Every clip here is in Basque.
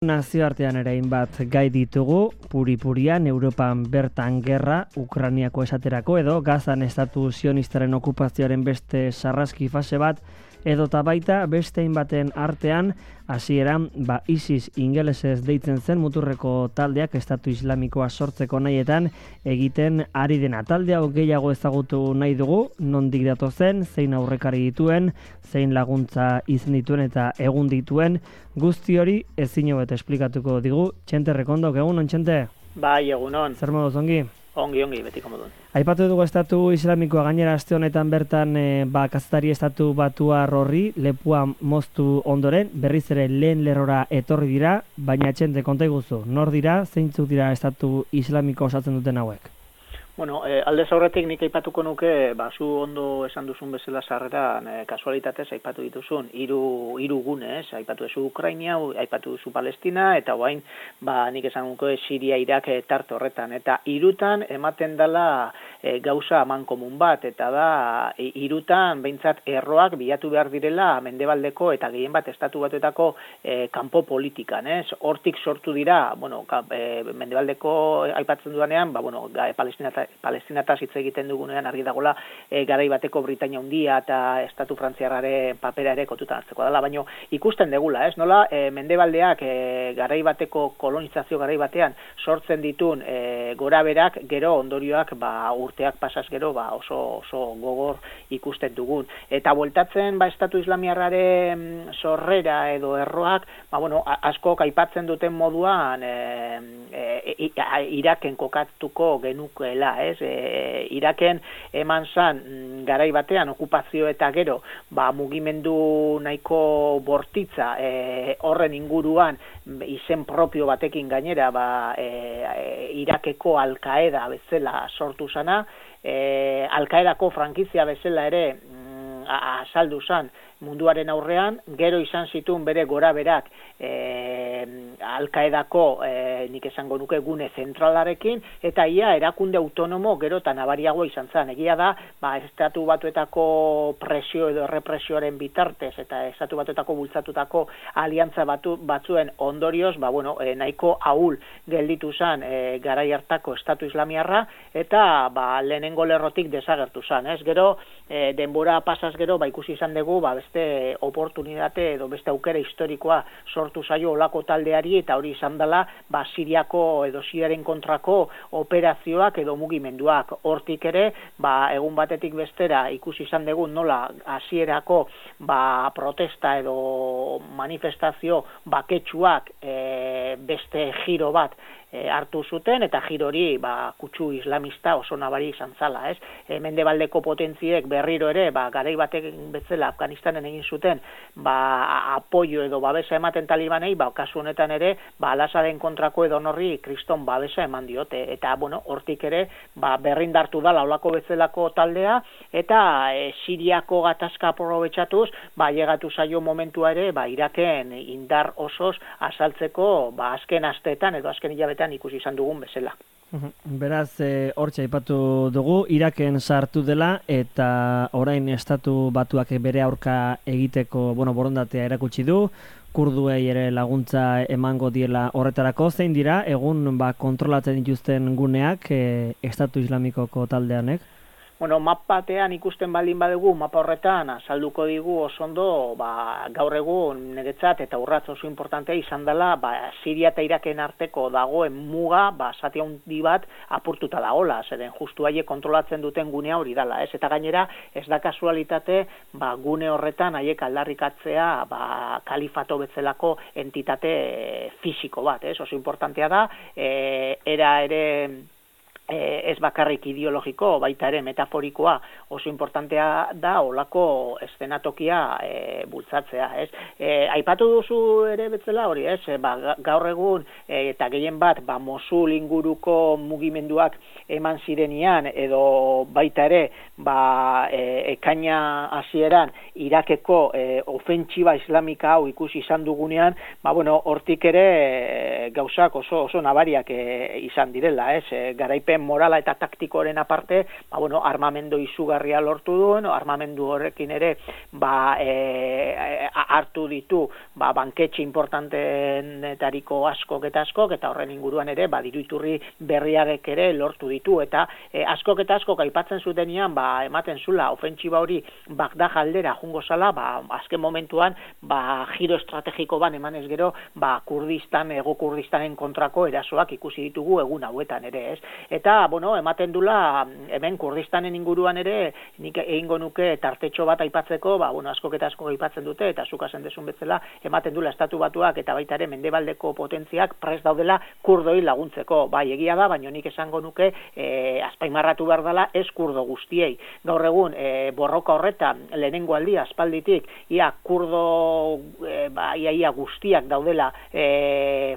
Nazioartean ere hainbat gai ditugu, puri-purian, Europan bertan gerra, Ukrainiako esaterako edo Gazan estatu sionistaren okupazioaren beste sarraski fase bat, edota baita beste hainbaten artean, hasieran ISIS ingelesez deitzen zen muturreko taldeak estatu islamikoa sortzeko nahietan egiten ari dena. Talde hau gehiago ezagutu nahi dugu, nondik datozen, zein aurrekari dituen, zein laguntza izan dituen eta egun dituen, guzti hori ezin hobet esplikatuko digu. Txente Rekondok, egunon, Txente? Bai, egunon. Zer moduz, ongi? Ongi, betiko modun. Aipatu dugu estatu islamikoa gainera aste honetan bertan kazetari estatu batuar horri lepua moztu ondoren, berriz ere lehen lerrora etorri dira, baina Txente, konta iguzu, nor dira, zeintzuk dira estatu islamiko osatzen duten hauek? Bueno, aldez aurretik nik aipatuko nuke, zu ondo esan duzun bezala sarreran, kasualitatez aipatu dituzun, hiru gune, aipatu duzu Ukraina, aipatu duzu Palestina, eta orain nik esan nuke Siria, Irak tarte horretan. Eta hirutan ematen dela gauza amankomun bat, eta da hirutan behintzat erroak bilatu behar direla mendebaldeko eta gehien bat estatu batuetako kanpo politikan. Hortik sortu dira, mendebaldeko aipatzen duanean, Palestinataz hitz egiten dugunean argi dagola garai bateko Britainia Handia eta estatu frantziarraren papera ere kontutan hartzeko dela, baina ikusten degula, nola mendebaldeak garai bateko kolonizazio garai batean sortzen ditun goraberak gero ondorioak urteak pasaz gero oso gogor ikusten dugun. Eta bueltatzen estatu islamiarraren sorrera edo erroak, askok aipatzen duten moduan Iraken kokatuko genukeela, Iraken eman zan garai batean okupazio eta gero mugimendu nahiko bortitza horren inguruan izen propio batekin gainera Irakeko Al-Qaeda bezala sortu zana, Al-Qaedako frankizia bezala ere azaldu zan munduaren aurrean, gero izan zituen bere goraberak Al-Qaedako nik esango nuke gune zentralarekin, eta ia erakunde autonomo gero eta nabariagoa izan zen. Egia da, estatu batuetako presio edo errepresioaren bitartez eta estatu batuetako bultzatutako aliantza batzuen ondorioz, nahiko ahul gelditu zen garai hartako estatu islamiarra, eta lehenengo lerrotik desagertu zen. Gero, denbora pasaz gero, ikusi izan dugu, beste oportunitate edo beste aukera historikoa sortu zaio olako taldeari, eta hori izan dela Siriako edo Siriaren kontrako operazioak edo mugimenduak. Hortik ere, egun batetik bestera ikusi izan dugu nola hasierako protesta edo manifestazio baketsuak beste giro bat hartu zuten, eta giro hori kutsu islamista oso nabari izan zala. Mendebaldeko potentziek berriro ere, garai batek bezala Afganistanen egin zuten, apoio edo babesa ematen talibanei, kasu honetan ere, Al-Asaden kontrako edo norri kriston babesa eman diote. Eta, hortik ere, berrindartu dala olako bezalako taldea, eta Siriako gatazka aprobetxatuz, llegatu zaio momentua ere, Iraken indar osoz azaltzeko, azken asteetan edo azken hilabetean ikusi izan dugun bezala. Beraz, hortxe aipatu dugu, Iraken sartu dela eta orain estatu batuak bere aurka egiteko borondatea erakutsi du, kurduei ere laguntza emango diela horretarako. Zein dira, egun kontrolatzen dituzten guneak estatu islamikoko taldeanek? Mapatean ikusten baldin badugu, mapa horretan azalduko digu oso ondo, gaur egun niretzat eta urratz oso importantea izan dela, Siria eta Iraken arteko dagoen muga, zati handi bat apurtuta dagoela, zeren justu haiek kontrolatzen duten gunea hori dela, eta gainera ez da kasualitate, gune horretan haiek aldarrikatzea, kalifato bezalako entitate fisiko bat, oso importantea da, era ere ez bakarrik ideologiko, baita ere metaforikoa oso importantea da olako eszenatokia bultzatzea. Aipatu duzu ere betzela hori, gaur egun eta gehien bat Mosul inguruko mugimenduak eman zirenian, edo baita ere ekaina hasieran Irakeko ofentsiba islamika hau ikusi izan dugunean, hortik ere gauzak oso nabariak izan direla, garaipen morala eta taktikoren aparte, armamendu izugarria lortu duen, armamendu horrekin ere hartu ditu banketxe importantenetariko askok eta horren inguruan ere diru iturri berriarek ere lortu ditu, eta askok eta askok aipatzen zutenean ematen zula ofentsiba hori Bagdad aldera jungo zala, azken momentuan giro estrategiko emanez gero Kurdistan, Hego Kurdistanen kontrako erasoak ikusi ditugu egun hauetan ere, ez? Eta, ematen dula hemen Kurdistanen inguruan ere nik egingo nuke tartetxo bat aipatzeko, askok eta askok aipatzen dute, eta zuk esan dezun bezala, ematen dula Estatu Batuak eta baita ere mendebaldeko potentziak prest daudela kurdoi laguntzeko. Bai, egia da, baina nik esango nuke azpaimarratu behar dela ez kurdo guztiei. Gaur egun, borroka horretan, lehenengo aldia, aspalditik, ia kurdo ia guztiak daudela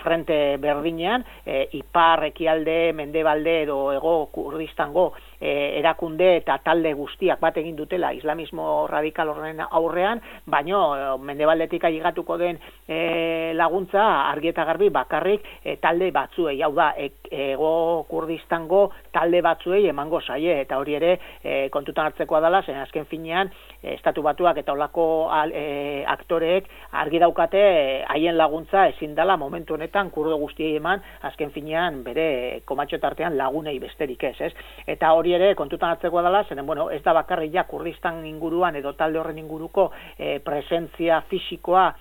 frente berdinean, ipar, ekialde, mendebalde edo Hego Kurdistango erakunde eta talde guztiak bat egin dutela islamismo radikal horren aurrean, baino mendebaldetik aigatuko den laguntza argi eta garbi bakarrik talde batzuei, hau da, Hego Kurdistango talde batzuei emango zaie, eta hori ere kontutan hartzekoa dela, zen azken finean Estatu Batuak eta olako aktoreek argi daukate haien laguntza ezin dela momentu honetan kurdo guztiei eman, azken finean bere komatxo tartean lagunei besterik ez? Eta hori ere kontutan hartzekoa dela, zeren ez da bakarrik ja Kurdistan inguruan edo talde horren inguruko presentzia fisikoa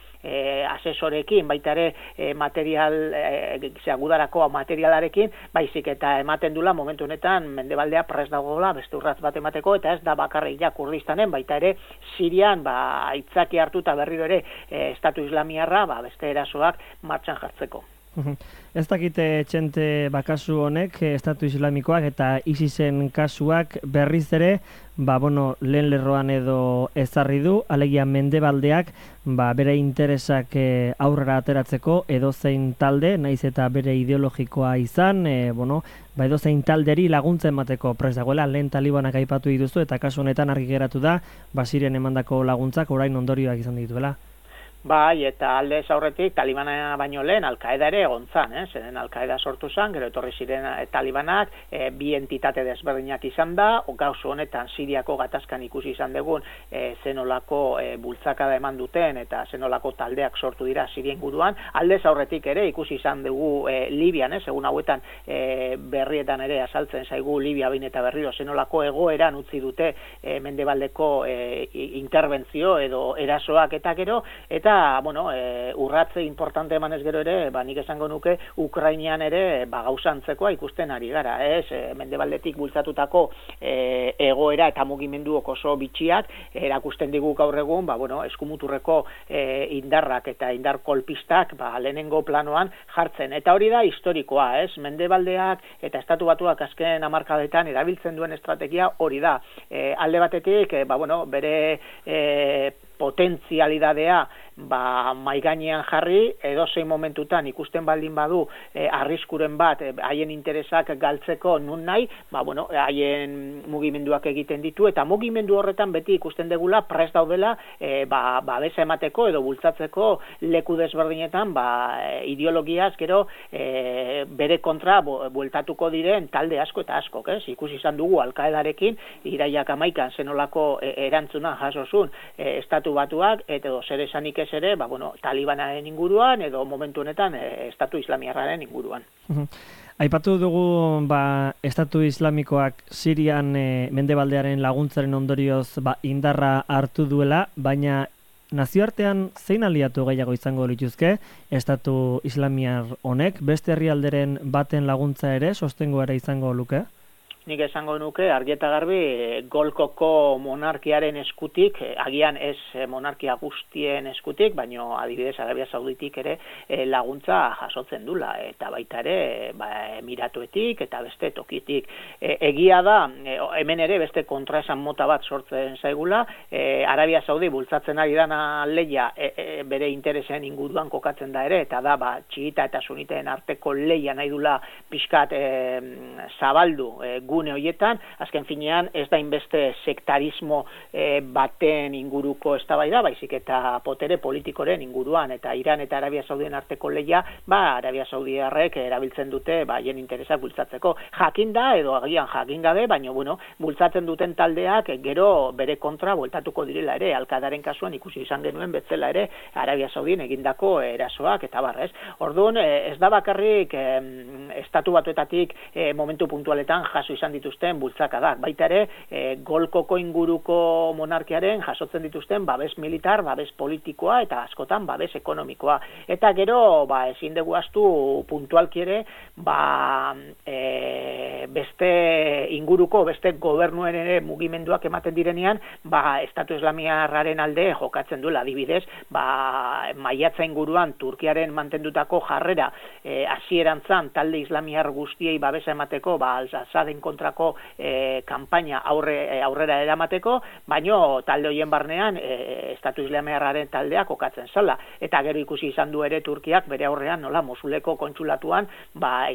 asesorekin, baita ere material gudarako materialarekin, baizik eta ematen dula momentu honetan mendebaldea prest dagoela beste urratz bat emateko, eta ez da bakarrik ja Kurdistanen, baita ere Sirian aitzaki hartuta berriro ere Estatu Islamiarra beste erasoak martxan jartzeko. Ez dakite txente kasu honek, Estatu Islamikoak eta ISISen kasuak berriz ere, lehen lerroan edo ezarri du, alegia mendebaldeak, bere interesak aurrera ateratzeko edozein talde, naiz eta bere ideologikoa izan, edozein talderi laguntza emateko prest dagoela, lehen talibanak aipatu dituzu, eta kasu honetan argi geratu da, Sirian emandako laguntzak orain ondorioak izan dituela. Bai, eta aldez aurretik Talibana baino lehen Al-Qaeda ere egon zan, zeren Al-Qaeda sortu zan, gero etorri ziren Talibanak, bi entitate desberdinak izan da, gauzu honetan Siriako gatazkan ikusi izan dugun zenolako bultzakada eman duten eta zenolako taldeak sortu dira Sirien guruan, aldez aurretik ere ikusi izan dugu Libian, egun hauetan berrietan ere azaltzen zaigu Libia behin eta berriro zenolako egoeran utzi dute mendebaldeko interbentzio edo erasoak eta gero, eta urratze importante emanez gero ere, nik esango nuke Ukrainian ere gauzantzekoa ikusten ari gara, mendebaldetik bultzatutako egoera eta mugimenduok oso bitxiak erakusten digu gaur egun, eskumuturreko indarrak eta indar kolpistak lehenengo planoan jartzen, eta hori da historikoa, mendebaldeak eta Estatu Batuak azken hamarkadetan erabiltzen duen estrategia hori da, alde batetik bere potentzialidadea maigainean jarri, edozein momentutan ikusten baldin badu arriskuren bat haien interesak galtzeko nun nahi, haien mugimenduak egiten ditu, eta mugimendu horretan beti ikusten degula prest daudela babesa emateko edo bultzatzeko leku desberdinetan ideologiaz gero bere kontra bueltatuko diren talde asko eta askok, ikusi izan dugu Al-Qaedarekin iraiak 11 zenolako erantzuna jasozun Estatu Batuak, edo zer esanik ez ere, Talibanaren inguruan edo momentu honetan Estatu Islamiarraren inguruan. Aipatu dugu Estatu Islamikoak Sirian mendebaldearen laguntzaren ondorioz indarra hartu duela, baina nazioartean zein aliatu gehiago izango lituzke Estatu Islamiar honek, beste herrialderen baten laguntza ere sostengo ere izango luke? Nik esango nuke, argi eta garbi, Golkoko monarkiaren eskutik, agian ez monarkia guztien eskutik, baino adibidez Arabia Sauditik ere laguntza jasotzen dula, eta baita ere Emiratuetik eta beste tokitik. Egia da, hemen ere beste kontraesan mota bat sortzen zaigula, Arabia Saudi bultzatzen ari dana leia bere interesen inguruan kokatzen da ere, eta da txiita eta suniteen arteko leia nahi dula pixkat zabaldu gune horietan, azken finean ez da inbeste sektarismo baten inguruko eztabaida, baizik eta potere politikoren inguruan, eta Iran eta Arabia Saudien arteko lehia, Arabia Saudiarrek erabiltzen dute haien interesak bultzatzeko. Jakinda edo agian jakin gabe, baina bultzatzen duten taldeak gero bere kontra bueltatuko direla ere, Al-Qaedaren kasuan ikusi izan genuen betzela ere Arabia Saudien egindako erasoak eta barrez. Orduan, ez da bakarrik estatu batuetatik momentu puntualetan jaso izan dituzten bultzakadak, baita ere Golkoko inguruko monarkiaren jasotzen dituzten babes militar, babes politikoa eta askotan babes ekonomikoa. Eta gero, ezin dugu ahaztu puntualki ere, beste inguruko, beste gobernuen ere mugimenduak ematen direnean, Estatu Islamiarraren alde jokatzen duela, adibidez, maiatza inguruan Turkiaren mantendutako jarrera hasierantzan talde islamiar guztiei babesa emateko, Al-Assaden kontrako kanpaina aurrera eramateko, baino talde hoien barnean Estatu Islamiarraren taldeak kokatzen zala. Eta gero ikusi izan du ere Turkiak bere aurrean nola Mosuleko kontsulatuan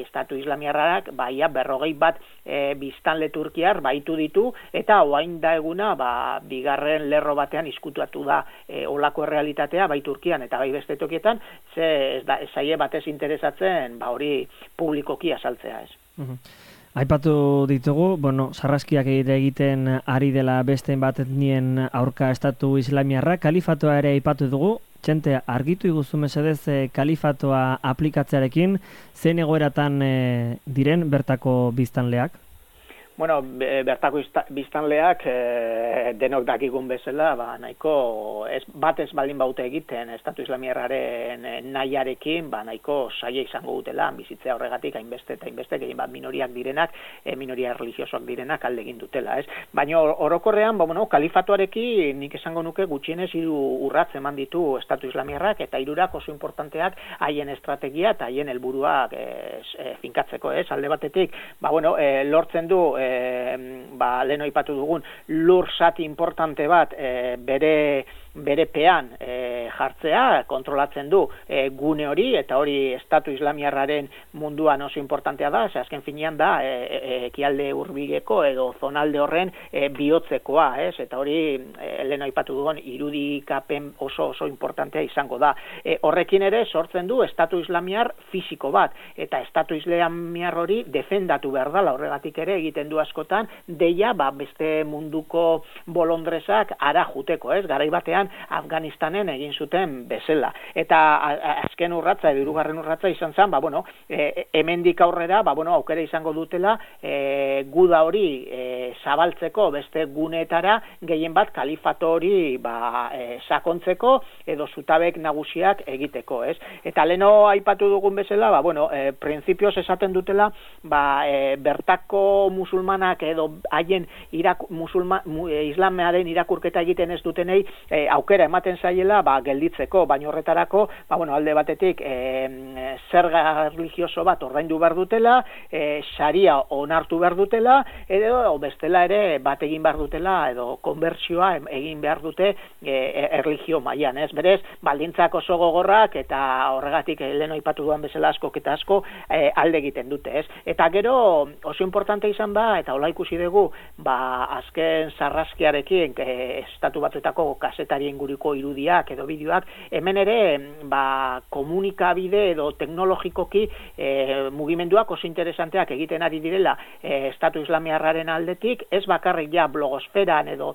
Estatu Islamiarrak 41 biztanle turkiar baitu ditu, eta orain da eguna bigarren lerro batean izkutuatu da olako errealitatea bai Turkian eta bai beste tokietan, ez zaie batez interesatzen hori publikoki azaltzea ez. Aipatu ditugu, sarraskiak egiten ari dela beste bat etnien aurka Estatu Islamiarra, kalifatoa ere aipatu dugu. Txente, argitu iguzu mesedez kalifatoa aplikatzearekin, zein egoeratan diren bertako biztanleak? Bertako biztanleak denok dakigun bezala, nahiko bat ez baldin baute egiten Estatu Islamiarraren nahiarekin, nahiko saia izango dutela, bizitzea horregatik hainbeste eta hainbeste, gehien bat minoriak direnak, minoria religiosoak direnak alde egin dutela, ez? Baina orokorrean, kalifatuarekin nik esango nuke gutxienez 3 urrats eman ditu Estatu Islamiarrak, eta 3 oso importanteak haien estrategia eta haien helburuak finkatzeko, ez? Alde batetik, lortzen du lehen aipatu dugun lur zati importante bat bere pean jartzea, kontrolatzen du gune hori, eta hori Estatu Islamiarraren munduan oso importantea da, azken finean da ekialde hurbigeko edo zonalde horren bihotzekoa, eta hori lehen aipatu dugun irudikapen oso importantea izango da. Horrekin ere sortzen du Estatu Islamiar fisiko bat, eta Estatu Islamiar hori defendatu behar dela, horregatik ere egiten du askotan deia beste munduko bolondresak ara juteko, garai batean Afganistanen egin zuten bezala. Eta azken urratza, edo 3. urratza izan zen, hemendik aurrera, aukera izango dutela guda hori zabaltzeko beste guneetara, gehien bat kalifato hori sakontzeko edo zutabek nagusiak egiteko, ez? Eta leno aipatu dugun bezala, printzipioz esaten dutela, bertako musulmanak edo haien islamearen irakurketa egiten ez dutenei aukera ematen zaiela gelditzeko, baina horretarako alde batetik zerga religioso bat ordaindu behar dutela, sharia onartu behar dutela, edo bestela ere bat egin behar dutela, edo konbertsioa egin behar dute erlijio mailan, ez? Berez, baldintzak oso gogorrak, eta horregatik lehen aipatu duan bezala asko eta asko alde egiten dute, ez? Eta gero oso importante izan eta hola ikusi dugu, azken sarraskiarekin Estatu Batuetako kazetarien inguruko irudiak edo bideoak, hemen ere komunikabide edo teknologikoki mugimenduak oso interesanteak egiten ari direla Estatu Islamiarraren aldetik, ez bakarrik blogosferan edo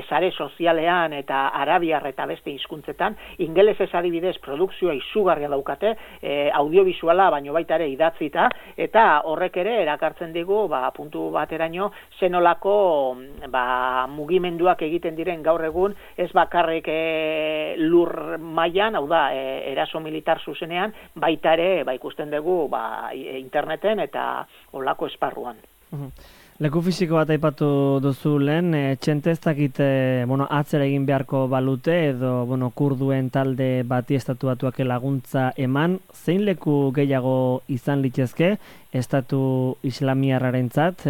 sare sozialean eta arabiar eta beste hizkuntzetan, ingelesez adibidez produkzioa izugarria daukate, audiovisuala baino baita ere idatzita, eta horrek ere erakartzen digu puntu bateraino zenolako mugimenduak egiten diren gaur egun, ez bakarrik lur mailan, hau da, eraso militar zuzenean, baita ere ikusten dugu interneten eta olako esparruan. Leku fisiko bat aipatu duzu lehen, Txente ez dakit atzera egin beharko balute edo kurduen talde bati Estatu Batuak laguntza eman, zein leku gehiago izan litzezke Estatu Islamiarrarentzat,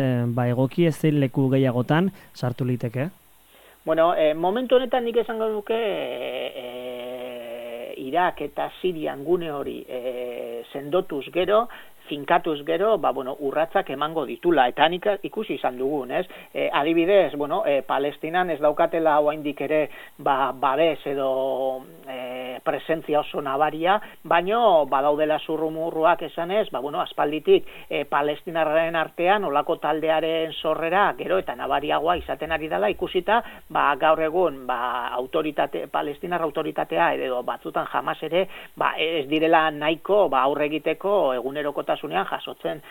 egoki ez zein leku gehiagotan sartu liteke? Momentu honetan nik esango duke Irak eta Sirian gune hori sendotuz gero, finkatuz gero, urratzak emango ditula, eta nik ikusi izan dugun, ez? Adibidez, Palestinan ez daukatela oraindik ere babes edo presentzia oso nabaria, baino badaudela zurrumurruak esanez, aspalditik palestinarren artean olako taldearen sorrera gero eta nabariagoa izaten ari dela ikusita, gaur egun palestinar autoritatea edo batzutan jamás ere ez direla nahiko aurre egiteko egunerokotasunean jasotzen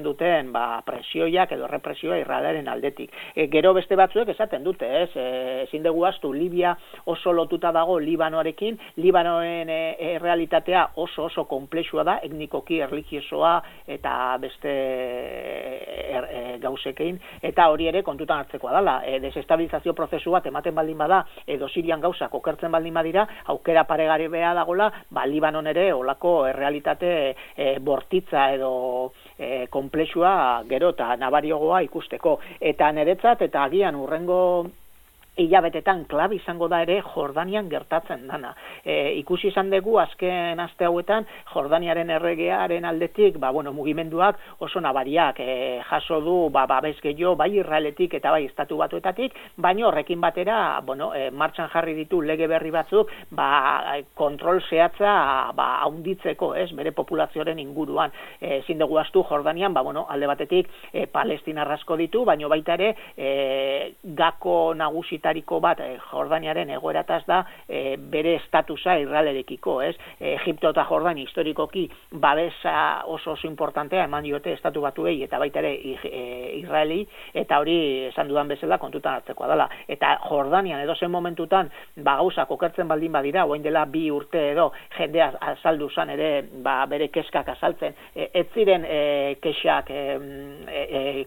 duten presioiak edo represioa Israelaren aldetik. Gero beste batzuek esaten dute, ezin dugu ahaztu Libia oso lotuta dago Libanoarekin, Libanoen realitatea oso konplexua da, etnikoki, erlijiosoa eta beste gauzekein, eta hori ere kontutan hartzekoa dela. Desestabilizazio prozesu bat ematen baldin bada, edo Sirian gauzak okertzen baldin badira, aukera paregabea dagola, Libanon ere olako errealitate bortitza edo konplexua gero eta nabariogoa ikusteko. Eta niretzat, eta agian hurrengo hilabetetan klabe izango da ere Jordanian gertatzen dana. Ikusi izan dugu azken aste hauetan Jordaniaren erregearen aldetik, mugimenduak oso nabariak jaso du babes gehiago bai Israeletik eta bai Estatu Batuetatik, baina horrekin batera, martxan jarri ditu lege berri batzuk, kontrol zehatza haunditzeko, bere populazioaren inguruan. Ezin dugu ahaztu Jordanian, alde batetik palestinar asko ditu, baina baita ere gako nagusitariko bat Jordaniaren egoerataz da bere estatusa Israelerekiko, Egipto eta Jordania historikoki babesa oso importantea eman diote Estatu Batuei eta baita ere Israeli, eta hori esan dudan bezala kontutan hartzekoa dela. Eta Jordanian edozen momentutan gauzak okertzen baldin badira, orain dela 2 urte edo jendea azaldu zan ere bere kezkak azaltzen, ez ziren kexak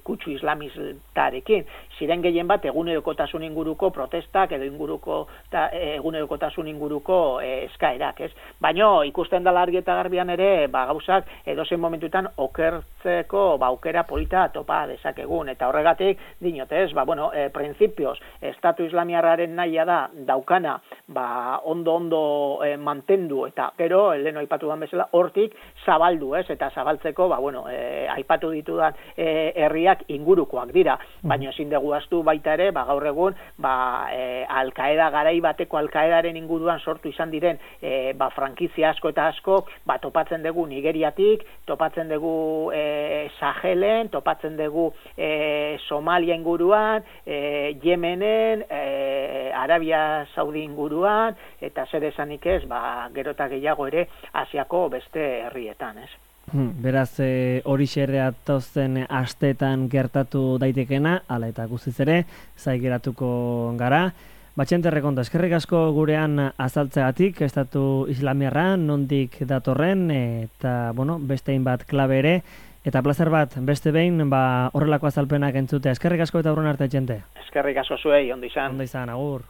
kutsu islamistarekin, ziren gehien bat egunerokotasun inguruko protestak edo egunerokotasun inguruko eskaerak, Baina ikusten dela argi eta garbian ere, gauzak edozein momentutan okertzeko aukera polita topa dezakegun, eta horregatik dinot, printzipioz, Estatu Islamiarraren nahia da daukana, ondo mantendu, eta gero, leheno aipatu dan bezala, hortik zabaldu, eta zabaltzeko, aipatu ditudan herriak ingurukoak dira, baina ezin dugu ahaztu baita ere, gaur egun, Al-Qaeda garai bateko Al-Qaedaren inguruan sortu izan diren frankizia asko eta asko, topatzen dugu Nigeriatik, topatzen dugu Sahelen, topatzen dugu Somalia inguruan, Yemenen, Arabia Saudi inguruan, eta zer esanik ez, gero eta gehiago ere Asiako beste herrietan, Beraz, hori xerrea tozen astetan gertatu daitekena, ala eta guztiz ere, zai geratuko gara. Batxente Rekondo, eskerrik asko gurean azaltzegatik, Estatu Islamiarra, nondik datorren, eta, beste hainbat klabe ere, eta plazer bat, beste behin, horrelako azalpenak entzutea. Eskerrik asko eta aurren arte, jente. Eskerrik asko zuei, ondo izan. Ondo izan, agur.